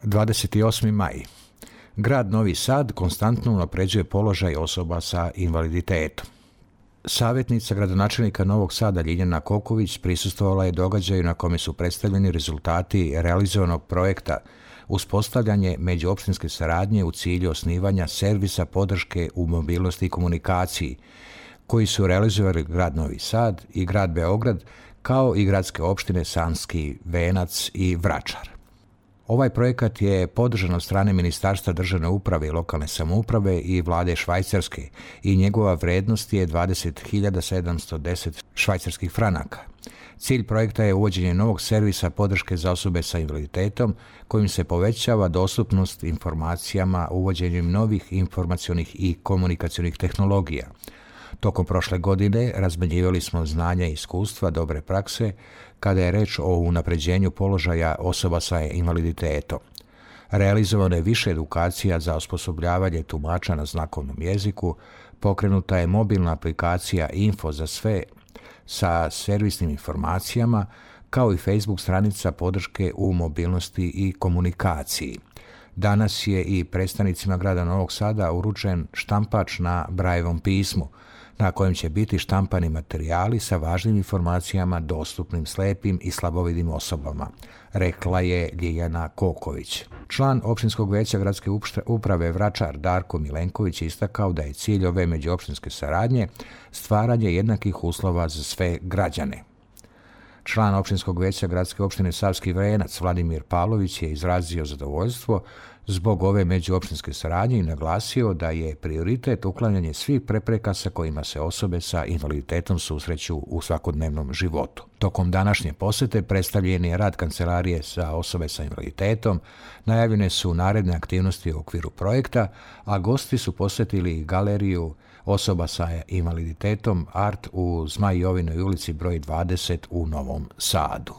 28. maj. Grad Novi Sad konstantno unapređuje položaj osoba sa invaliditetom. Savjetnica gradonačelnika Novog Sada Ljiljana Koković prisustvovala je događaju na kome su predstavljeni rezultati realizovanog projekta uspostavljanje međuopštinske saradnje u cilju osnivanja servisa podrške u mobilnosti i komunikaciji, koji su realizovali grad Novi Sad i grad Beograd, kao i gradske opštine Sanski Venac i Vračar. Ovaj projekat je podržan od strane Ministarstva državne uprave i lokalne samouprave i vlade Švajcarske i njegova vrednost je 20.710 švajcarskih franaka. Cilj projekta je uvođenje novog servisa podrške za osobe sa invaliditetom kojim se povećava dostupnost informacijama uvođenjem novih informacionih i komunikacionih tehnologija. Tokom prošle godine razmenjivali smo znanja i iskustva dobre prakse kada je reč o unapređenju položaja osoba sa invaliditetom. Realizovano je više edukacija za osposobljavanje tumača na znakovnom jeziku, pokrenuta je mobilna aplikacija Info za sve sa servisnim informacijama, kao i Facebook stranica podrške u mobilnosti i komunikaciji. Danas je i predstavnicima grada Novog Sada uručen štampač na Brajevom pismu, na kojem će biti štampani materijali sa važnim informacijama dostupnim slepim i slabovidnim osobama, rekla je Ljiljana Koković. Član opštinskog veća gradske uprave Vračar Darko Milenković je istakao da je cilj ove međuopštinske saradnje stvaranje jednakih uslova za sve građane. Član opštinskog veća gradske opštine Savski Venac Vladimir Pavlović je izrazio zadovoljstvo zbog ove međuopštinske saradnje i naglasio da je prioritet uklanjanje svih prepreka sa kojima se osobe sa invaliditetom susreću u svakodnevnom životu. Tokom današnje posete predstavljen je rad Kancelarije za osobe sa invaliditetom, najavljene su naredne aktivnosti u okviru projekta, a gosti su posjetili galeriju osoba sa invaliditetom Art u Zmajovinoj ulici broj 20 u Novom Sadu.